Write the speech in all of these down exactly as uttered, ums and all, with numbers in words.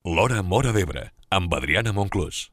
L'Hora Móra d'Ebre, amb Adriana Monclús.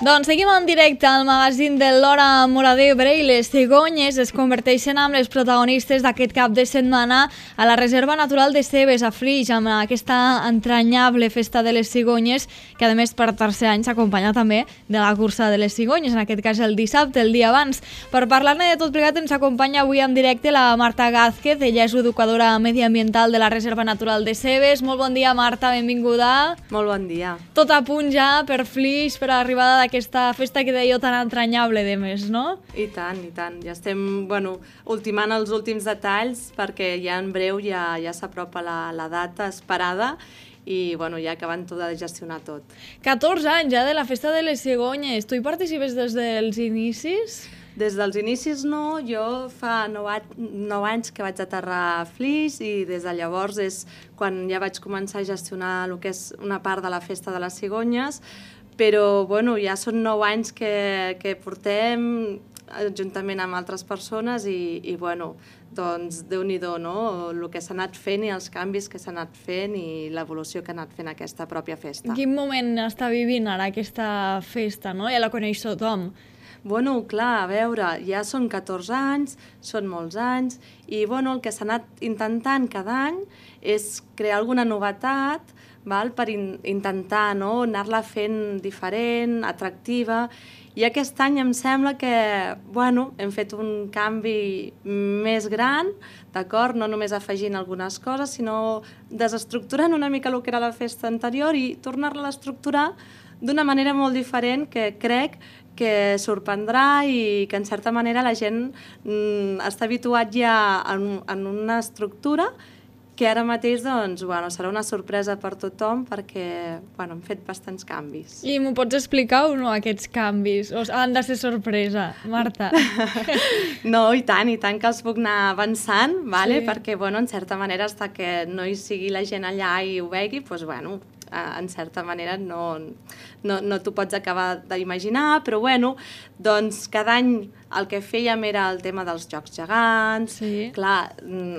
Doncs seguim en directe al magazín de l'Hora Móra d'Ebre i les cigonyes es converteixen en les protagonistes d'aquest cap de setmana a la Reserva Natural de Cebes, a Flix, amb aquesta entranyable festa de les cigonyes, que a més per tercer any s'acompanya també de la cursa de les cigonyes, en aquest cas el dissabte, el dia abans. Per parlar-ne de tot plegat ens acompanya avui en directe la Marta Gázquez, ella és educadora mediambiental de la Reserva Natural de Cebes. Molt bon dia, Marta, benvinguda. Molt bon dia. Tot a punt ja per Flix, per l'arribada d'aquest aquesta festa que dèieu tan entranyable de més, no? I tant, i tant. Ja estem, bueno, ultimant els últims detalls perquè ja en breu ja, ja s'apropa la, la data esperada i, bueno, ja acabant tot de gestionar tot. catorze anys ja de la festa de les cigonyes. Tu hi participes des dels inicis? Des dels inicis no, jo fa nou, nou anys que vaig aterrar a Flix i des de llavors és quan ja vaig començar a gestionar el que és una part de la festa de les cigonyes, però bueno, ja són nou anys que, que portem juntament amb altres persones i, i bueno, doncs Déu-n'hi-do, no? El que s'ha anat fent i els canvis que s'ha anat fent i l'evolució que ha anat fent aquesta pròpia festa. En quin moment està vivint ara aquesta festa, no? Ja la coneix tothom. Bueno, clar, a veure, ja són catorze anys, són molts anys, i bueno, el que s'ha anat intentant cada any és crear alguna novetat, val? Per in intentar, no? Anar-la fent diferent, atractiva, i aquest any em sembla que, bueno, hem fet un canvi més gran, d'acord? No només afegint algunes coses, sinó desestructurant una mica el que era la festa anterior i tornar-la a estructurar d'una manera molt diferent que crec que sorprendrà i que en certa manera la gent mm, està habituat ja en, en una estructura que ara mateix doncs, bueno, serà una sorpresa per tothom perquè bueno, hem fet bastants canvis. I m'ho pots explicar o no, aquests canvis? O han de ser sorpresa, Marta? No, i tant, i tant que els puc anar avançant, vale? Sí. Perquè bueno, en certa manera, fins que no hi sigui la gent allà i ho vegi, doncs, bueno, en certa manera no, no, no t'ho pots acabar d'imaginar, però bueno, doncs cada any el que fèiem era el tema dels jocs gegants. Sí. Clar,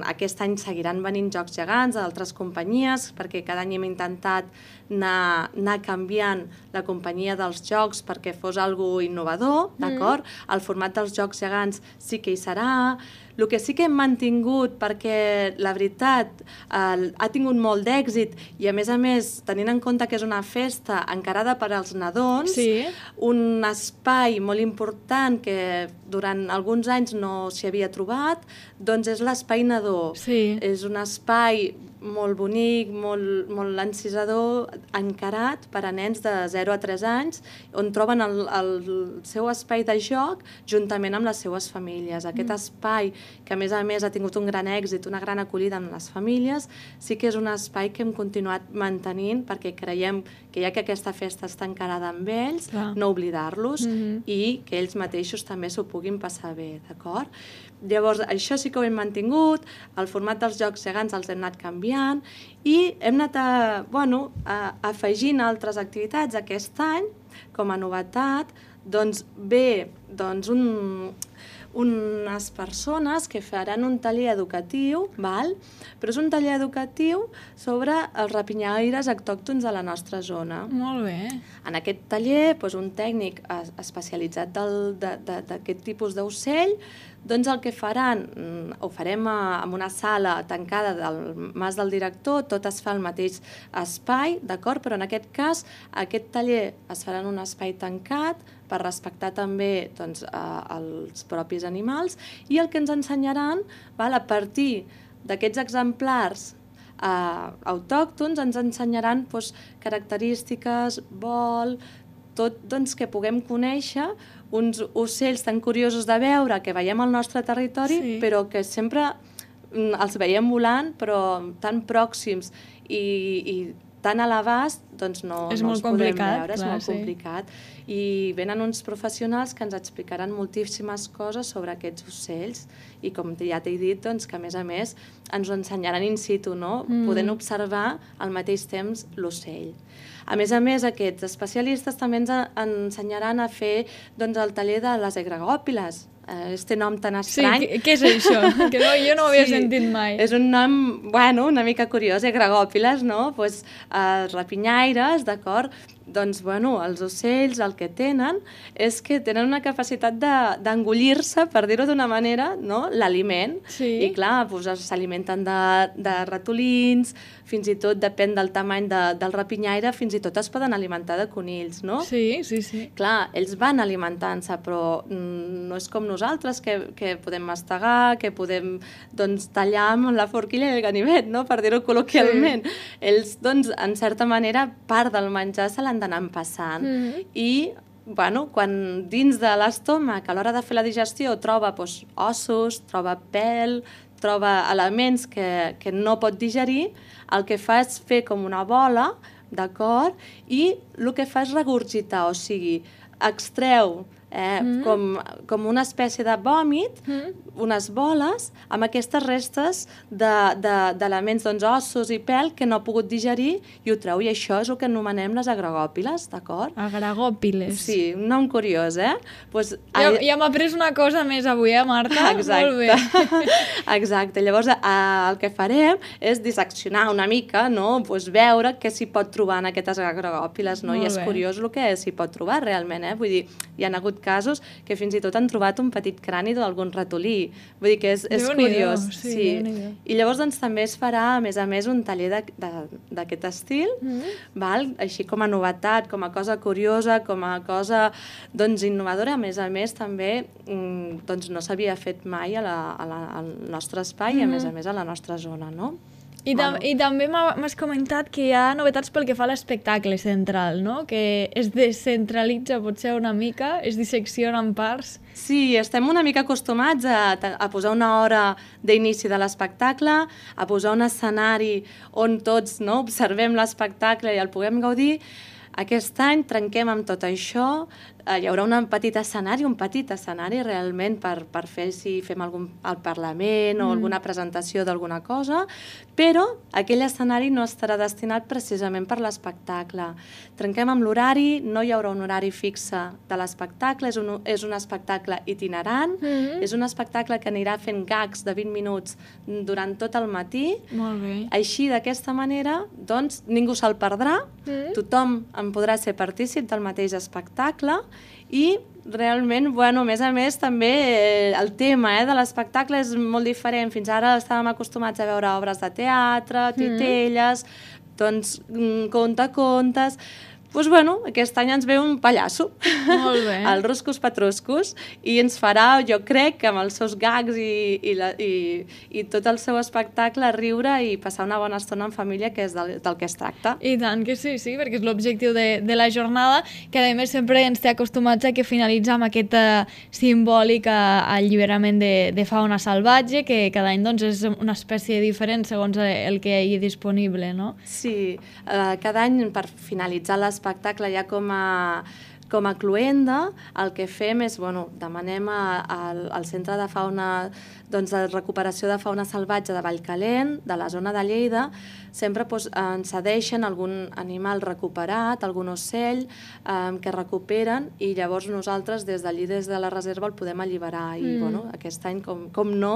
aquest any seguiran venint jocs gegants d'altres companyies, perquè cada any hem intentat anar, anar canviant la companyia dels jocs perquè fos algo innovador, d'acord? Mm. El format dels jocs gegants sí que hi serà. El que sí que hem mantingut, perquè la veritat eh, ha tingut molt d'èxit i a més a més, tenint en compte que és una festa encarada per als nadons, sí. Un espai molt important que durant alguns anys no s'hi havia trobat, doncs és l'espai nadó. Sí. És un espai molt bonic, molt, molt encisador, encarat per a nens de zero a tres anys, on troben el, el seu espai de joc juntament amb les seues famílies. Aquest mm. espai, que a més a més ha tingut un gran èxit, una gran acollida amb les famílies, sí que és un espai que hem continuat mantenint perquè creiem que ja que aquesta festa està encarada amb ells, Clar. no oblidar-los Mm-hmm. i que ells mateixos també s'ho puguin passar bé, d'acord? Llavors, això sí que ho hem mantingut, el format dels jocs gegants els hem anat canviant i hem anat a, bueno, a, afegint altres activitats aquest any com a novetat, doncs bé, doncs un, unes persones que faran un taller educatiu, val? Però és un taller educatiu sobre els rapinyaires autòctons de la nostra zona. Molt bé. En aquest taller, doncs, un tècnic especialitzat d'aquest tipus d'ocell, doncs el que faran, ho farem en una sala tancada del mas del director, tot es fa al mateix espai, d'acord? Però en aquest cas, aquest taller es farà en un espai tancat per respectar també doncs, els propis animals i el que ens ensenyaran, val, a partir d'aquests exemplars eh, autòctons, ens ensenyaran doncs, característiques, vol, tot doncs, que puguem conèixer uns ocells tan curiosos de veure que veiem al nostre territori, sí. però que sempre els veiem volant, però tan pròxims i, i tan a l'abast doncs no, és no molt els podem complicat, veure, clar, és molt sí. complicat. I venen uns professionals que ens explicaran moltíssimes coses sobre aquests ocells i com ja t'he dit, doncs, que a més a més ens ho ensenyaran in situ, no? Mm. Podent observar al mateix temps l'ocell. A més a més, aquests especialistes també ens ensenyaran a fer doncs, el taller de les egregòpiles, este nom tan estrany. Sí, què és això? Que no, jo no ho havia sí, sentit mai. És un nom, bueno, una mica curiós, egregòpiles, no? Pues, eh, rapinyaires, d'acord? Doncs, bueno, els ocells el que tenen és que tenen una capacitat d'engollir-se, de, per dir-ho d'una manera, no? L'aliment. Sí. I clar, pues, s'alimenten de, de ratolins, fins i tot depèn del tamany de, del rapinyaire, fins i tot es poden alimentar de conills, no? Sí, sí, sí. Clar, ells van alimentant-se, però mm, no és com nosaltres, que, que podem mastegar, que podem doncs, tallar amb la forquilla i el ganivet, no? Per dir-ho col·loquialment. Sí. Ells, doncs, en certa manera, part del menjar se l'han d'anar passant. Mm-hmm. I bueno, quan dins de l'estómac, a l'hora de fer la digestió, troba doncs, ossos, troba pèl, troba elements que, que no pot digerir, el que fa és fer com una bola, d'acord? I el que fa és regurgitar, o sigui, extreu eh, mm. com, com una espècie de vòmit, mm. unes boles, amb aquestes restes d'elements, de, de, doncs, ossos i pèl que no ha pogut digerir i ho treu, i això és el que anomenem les agregòpiles, d'acord? Agregòpiles. Sí, un nom curiós, eh? Pues, ja ja m'ha après una cosa més avui, eh, Marta? Exacte. Molt bé. Exacte. Llavors, eh, el que farem és disseccionar una mica, no? Pues, veure què s'hi pot trobar en aquestes agregòpiles, no? Molt I és bé. curiós el que s'hi pot trobar realment, eh? Vull dir, hi ha hagut casos que fins i tot han trobat un petit crani d'algun ratolí. Vull dir que és, és curiós. Sí, sí. I llavors doncs, també es farà, a més a més, un taller d'aquest estil, mm. val? Així com a novetat, com a cosa curiosa, com a cosa doncs, innovadora. A més a més, també doncs, no s'havia fet mai a la, a la, al nostre espai mm. i, a més a més, a la nostra zona, no? I, tam bueno. I també m'has comentat que hi ha novetats pel que fa a l'espectacle central, no? Que es descentralitza potser una mica, es dissecciona en parts. Sí, estem una mica acostumats a, a posar una hora d'inici de l'espectacle, a posar un escenari on tots no, observem l'espectacle i el puguem gaudir. Aquest any trenquem amb tot això, eh, hi haurà un petit escenari, un petit escenari realment per, per fer si fem algun al Parlament o mm. alguna presentació d'alguna cosa, però aquell escenari no estarà destinat precisament per l'espectacle. Trenquem amb l'horari, no hi haurà un horari fixe de l'espectacle, és, un, és un espectacle itinerant, mm. és un espectacle que anirà fent gags de vint minuts durant tot el matí. Molt bé. Així, d'aquesta manera, doncs, ningú se'l perdrà, mm. tothom en podrà ser partícip del mateix espectacle i realment, bueno, a més a més, també eh, el tema eh, de l'espectacle és molt diferent. Fins ara estàvem acostumats a veure obres de teatre, titelles, mm. doncs contacontes. Doncs, bueno, aquest any ens ve un pallasso, molt bé. el Ruscos Patruscos, i ens farà, jo crec, que amb els seus gags i, i, la, i, i tot el seu espectacle, riure i passar una bona estona en família, que és del, del que es tracta. I tant que sí, sí, perquè és l'objectiu de, de la jornada, que a més sempre ens té acostumats a que finalitza amb aquest uh, simbòlic uh, alliberament de, de fauna salvatge, que cada any doncs, és una espècie diferent segons el que hi ha disponible, no? Sí, uh, cada any per finalitzar l'espectacle espectacle ja com a, com a cluenda, el que fem és, bueno, demanem a, a, al Centre de Fauna, doncs, de recuperació de fauna salvatge de Vallcalent, de la zona de Lleida, sempre doncs, ens cedeixen algun animal recuperat, algun ocell eh, que recuperen, i llavors nosaltres des d'allí, des de la reserva, el podem alliberar. I mm. bueno, aquest any, com, com no,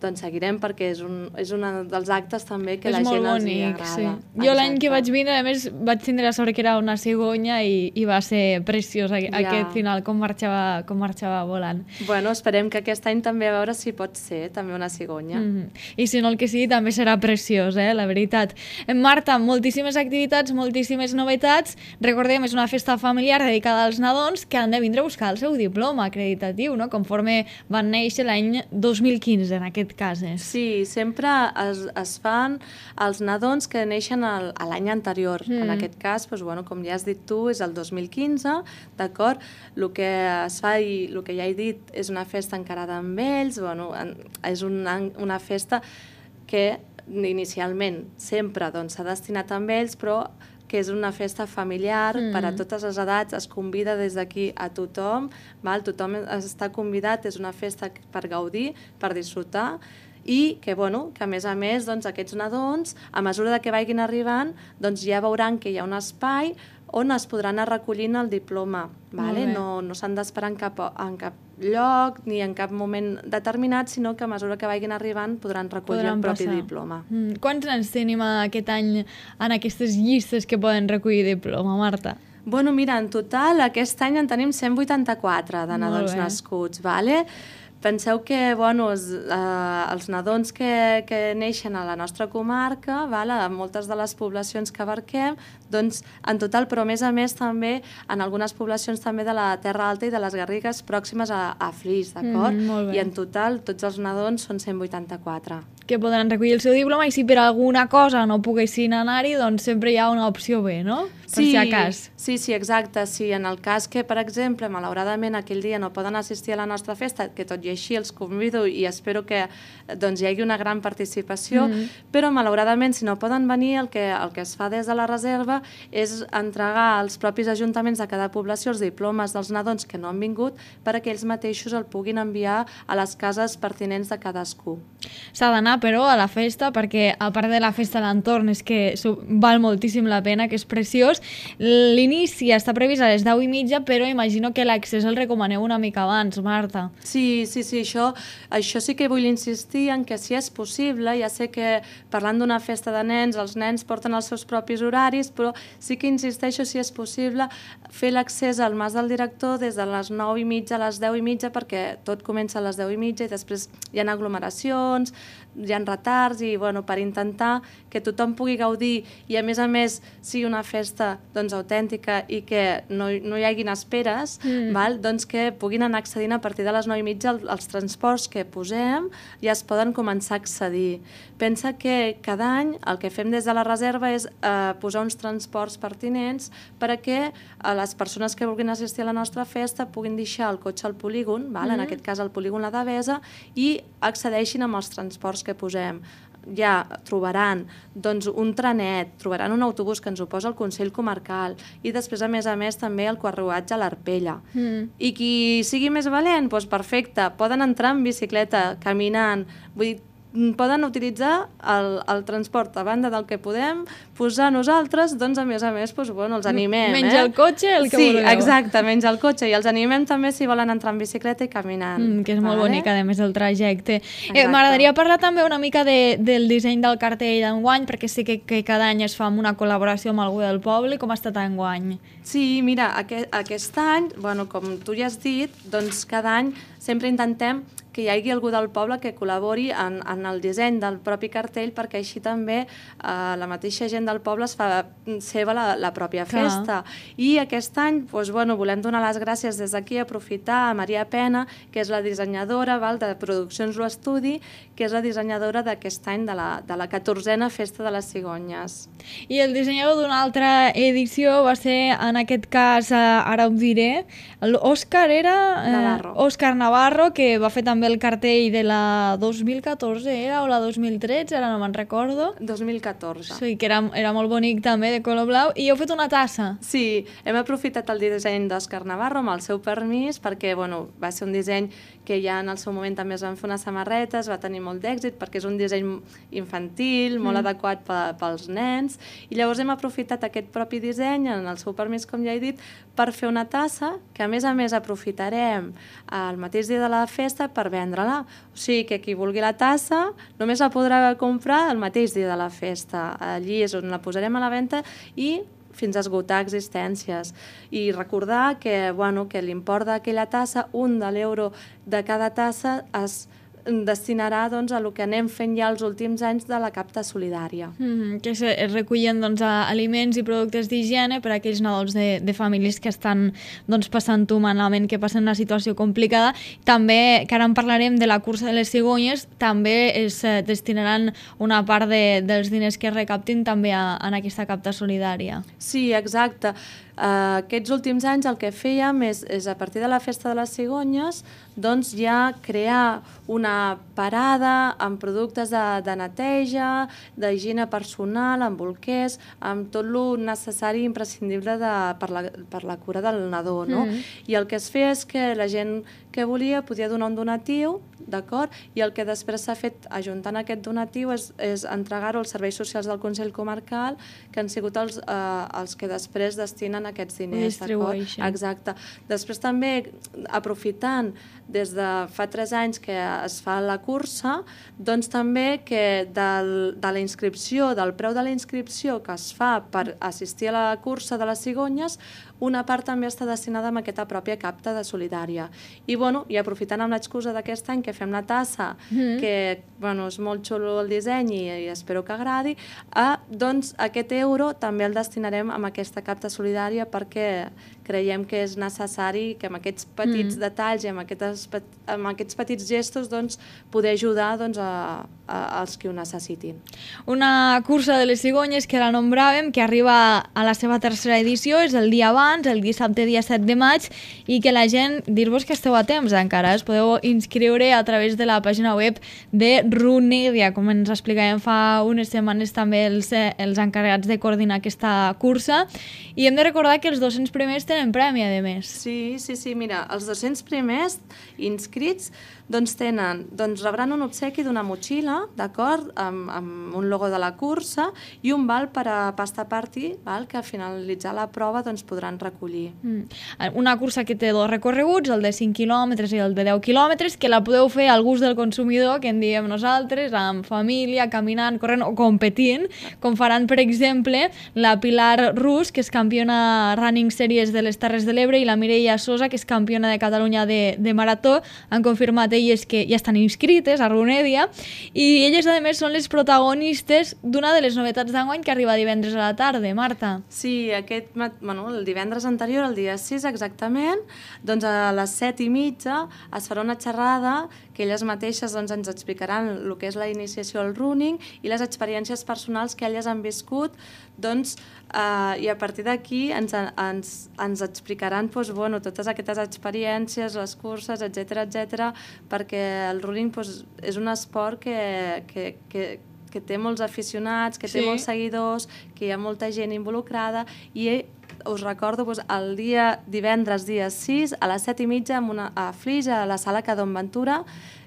doncs seguirem, perquè és un, és un dels actes també que és la gent els hi agrada. Sí. Jo l'any que vaig vindre, a més, vaig tindre la sort que era una cigonya i, i va ser preciós ja. Aquest final, com marxava, com marxava volant. Bueno, esperem que aquest any també a veure si pot ser també una cigonya. Mm-hmm. I si no, el que sigui també serà preciós, eh, la veritat. Marta, moltíssimes activitats, moltíssimes novetats. Recordem, és una festa familiar dedicada als nadons que han de vindre a buscar el seu diploma acreditatiu, no? Conforme van néixer l'any dos mil quinze, en aquest cas. És. Sí, sempre es, es fan els nadons que neixen el, a l'any anterior. Mm. En aquest cas, doncs, bueno, com ja has dit tu, és el dos mil quinze, d'acord? El que es fa i el que ja he dit és una festa encarada amb ells, bueno, és una, una festa que inicialment sempre doncs, s'ha destinat amb ells, però que és una festa familiar mm. per a totes les edats, es convida des d'aquí a tothom, val? Tothom està convidat, és una festa per gaudir, per disfrutar, i que, bueno, que a més a més doncs, aquests nadons, a mesura que vagin arribant, doncs ja veuran que hi ha un espai on es podran anar recollint el diploma. Vale? No, no s'han d'esperar en, cap, en cap lloc ni en cap moment determinat, sinó que a mesura que vagin arribant podran recollir podran el propi passar. diploma. Mm. Quants anys tenim aquest any en aquestes llistes que poden recollir diploma, Marta? Bueno, mira, en total aquest any en tenim cent vuitanta-quatre de nadons nascuts, vale? Penseu que, bueno, els, eh, els nadons que, que neixen a la nostra comarca, vale, a moltes de les poblacions que abarquem, doncs en total, però a més a més també en algunes poblacions també de la Terra Alta i de les Garrigues pròximes a, a Flix, d'acord? Mm, I en total tots els nadons són cent vuitanta-quatre. Que podran recollir el seu diploma i si per alguna cosa no poguessin anar-hi, doncs sempre hi ha una opció B, no? Per sí, si a cas. Sí, sí, exacte. Sí, en el cas que, per exemple, malauradament aquell dia no poden assistir a la nostra festa, que tot i així els convido i espero que doncs, hi hagi una gran participació, mm. però malauradament si no poden venir el que, el que es fa des de la reserva és entregar als propis ajuntaments de cada població els diplomes dels nadons que no han vingut perquè ells mateixos el puguin enviar a les cases pertinents de cadascú. S'ha d'anar, però, a la festa, perquè a part de la festa a l'entorn és que val moltíssim la pena, que és preciós. L'inici està previst a les deu i mitja, però imagino que l'accés el recomaneu una mica abans, Marta. Sí, sí, sí, això, això sí que vull insistir en que si és possible, ja sé que parlant d'una festa de nens, els nens porten els seus propis horaris, però sí que insisteixo, si és possible, fer l'accés al mas del director des de les nou i mitja a les deu i mitja, perquè tot comença a les deu i mitja i després hi ha aglomeracions, hi ha retards i bueno, per intentar que tothom pugui gaudir i a més a més sigui una festa doncs, autèntica i que no, no hi haguin esperes, mm. val? Doncs que puguin anar accedint a partir de les nou i mitja els transports que posem ja es poden començar a accedir. Pensa que cada any el que fem des de la reserva és eh, posar uns transports pertinents perquè eh, les persones que vulguin assistir a la nostra festa puguin deixar el cotxe al polígon, val? Mm. en aquest cas al polígon La Devesa, i accedeixin amb els transports que posem. Ja trobaran doncs, un trenet, trobaran un autobús que ens ho posa el Consell Comarcal i després, a més a més, també el carruatge a l'Arpella. Mm. I qui sigui més valent, doncs perfecte, poden entrar en bicicleta, caminant, vull dir, poden utilitzar el, el transport a banda del que podem posar nosaltres, doncs a més a més doncs, bueno, els animem. Menys eh? el cotxe, el que sí, vulgueu. Sí, exacte, menys el cotxe, i els animem també si volen entrar en bicicleta i caminant. Mm, que és molt vale? bonic, a més, el trajecte. Eh, M'agradaria parlar també una mica de, del disseny del cartell d'enguany, perquè sé que, que cada any es fa amb una col·laboració amb algú del poble. Com ha estat enguany? Sí, mira, aquest, aquest any, bueno, com tu ja has dit, doncs cada any sempre intentem que hi hagi algú del poble que col·labori en, en el disseny del propi cartell, perquè així també eh, la mateixa gent del poble es fa seva la, la pròpia festa. Clar. I aquest any doncs, bueno, volem donar les gràcies des d'aquí, aprofitar a Maria Pena, que és la dissenyadora val, de Produccions Lo Estudi, que és la dissenyadora d'aquest any de la, de la catorzena Festa de les Cigonyes. I el dissenyador d'una altra edició va ser, en aquest cas, ara ho diré, l'Òscar era... Navarro. Eh, Òscar Navarro, que va fer també el cartell de la dos mil catorze, era, o la dos mil tretze, ara no me'n recordo. dos mil catorze. Sí, que era, era molt bonic també, de color blau, i heu fet una tassa. Sí, hem aprofitat el disseny d'Òscar Navarro amb el seu permís, perquè bueno, va ser un disseny que ja en el seu moment també es van fer unes samarretes, va tenir molt d'èxit perquè és un disseny infantil, molt mm. adequat pels nens, i llavors hem aprofitat aquest propi disseny, en el seu permís, com ja he dit, per fer una tassa que a més a més aprofitarem el mateix dia de la festa per vendre-la. O sigui que qui vulgui la tassa només la podrà comprar el mateix dia de la festa. Allí és on la posarem a la venda i fins a esgotar existències. I recordar que, bueno, que l'import d'aquella tassa, un de l'euro de cada tassa, es destinarà doncs, a el que anem fent ja els últims anys de la capta solidària. Mm-hmm, que es, es recullen doncs, aliments i productes d'higiene per a aquells nadons de, de famílies que estan doncs, passant-ho malament, que passen una situació complicada. També, que ara en parlarem de la cursa de les cigonyes, també es eh, destinaran una part de, dels diners que es recaptin també a, en aquesta capta solidària. Sí, exacte. Uh, aquests últims anys el que fèiem és, és a partir de la festa de les cigonyes doncs ja crear una parada amb productes de, de neteja, d'higiene personal, amb bolquers, amb tot lo necessari i imprescindible de, per, la, per la cura del nadó, no? Mm. I el que es feia és que la gent que volia podia donar un donatiu, d'acord? I el que després s'ha fet ajuntant aquest donatiu és, és entregar-ho als serveis socials del Consell Comarcal, que han sigut els, eh, els que després destinen aquests diners, d'acord? Exacte. Després també, aprofitant des de fa tres anys que es fa la cursa, doncs també que del, de la inscripció, del preu de la inscripció que es fa per assistir a la cursa de les cigonyes, una part també està destinada a aquesta pròpia capta de solidària. I, bueno, i aprofitant amb l'excusa d'aquest any que fem la tassa, mm. que bueno, és molt xulo el disseny i, i espero que agradi, eh, doncs aquest euro també el destinarem a aquesta capta solidària perquè creiem que és necessari que amb aquests petits mm. detalls i amb aquests, amb aquests petits gestos doncs, poder ajudar doncs, a, a, als que ho necessitin. Una cursa de les cigonyes que la nombràvem, que arriba a la seva tercera edició, és el dia abans, el dissabte dia set de maig, i que la gent, dir-vos que esteu a temps encara, us podeu inscriure a través de la pàgina web de Runedia, com ens explicàvem fa unes setmanes també els, els encarregats de coordinar aquesta cursa, i hem de recordar que els dos-cents primers tenen premi, a més. Sí, sí, sí, mira, els dos-cents primers inscrits doncs tenen, doncs rebran un obsequi d'una motxilla, d'acord, amb, amb un logo de la cursa i un val per a pasta party, val, que a finalitzar la prova doncs podran recollir. Mm. Una cursa que té dos recorreguts, el de cinc quilòmetres i el de deu quilòmetres, que la podeu fer al gust del consumidor, que en diem nosaltres, amb família, caminant, corrent o competint, com faran, per exemple, la Pilar Rus, que és campiona Running Series de les Terres de l'Ebre, i la Mireia Sosa, que és campiona de Catalunya de, de marató. Han confirmat elles que ja estan inscrites a Runedia, i elles, a més, són les protagonistes d'una de les novetats d'enguany que arriba divendres a la tarda. Marta. Sí, aquest, bueno, el divendres anterior, el dia sis exactament, doncs a les set i mitja es farà una xerrada que elles mateixes doncs, ens explicaran el que és la iniciació al running i les experiències personals que elles han viscut, doncs, eh, i a partir d'aquí ens, ens, ens explicaran doncs, bueno, totes aquestes experiències, les curses, etcètera, etcètera, perquè el running doncs, és un esport que, que, que, que té molts aficionats, que té sí. molts seguidors, que hi ha molta gent involucrada, i us recordo doncs, el dia divendres, dia sis, a les set i mitja, amb una, a Flix, a la sala Cadon Ventura,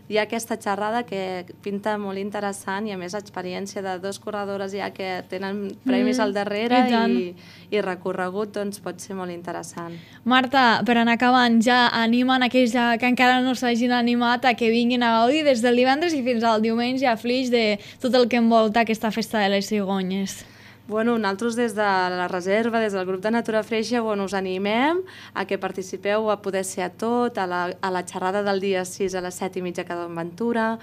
hi ha aquesta xerrada que pinta molt interessant i a més experiència de dos corredores ja que tenen premis mm, al darrere i, i, i recorregut doncs pot ser molt interessant. Marta, per anar acabant, ja animen aquells que encara no s'hagin animat a que vinguin a gaudir des del divendres i fins al diumenge a Flix de tot el que envolta aquesta festa de les cigonyes. Bueno, nosaltres des de la reserva, des del grup de Natura Freixa, bueno, us animem a que participeu a poder ser a tot, a la, a la xerrada del dia sis a les set i mitja a Cadon Ventura.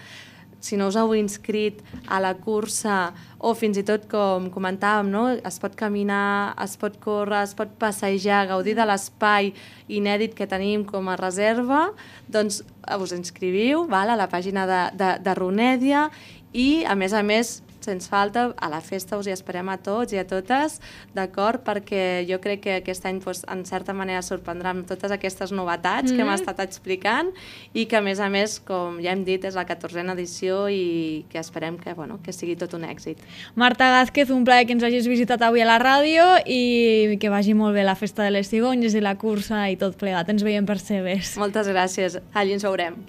Si no us heu inscrit a la cursa, o fins i tot, com comentàvem, no? Es pot caminar, es pot córrer, es pot passejar, gaudir de l'espai inèdit que tenim com a reserva, doncs us inscriviu, val, a la pàgina de, de, de Runedia, i, a més a més, sens falta, a la festa us hi esperem a tots i a totes, d'acord? Perquè jo crec que aquest any, doncs, en certa manera, sorprendrà amb totes aquestes novetats mm-hmm. que hem estat explicant i que, a més a més, com ja hem dit, és la catorzena edició i que esperem que, bueno, que sigui tot un èxit. Marta Gázquez, un plaer que ens hagis visitat avui a la ràdio i que vagi molt bé la festa de les cigonyes i la cursa i tot plegat. Ens veiem per Cebes. Moltes gràcies. Allí ens veurem.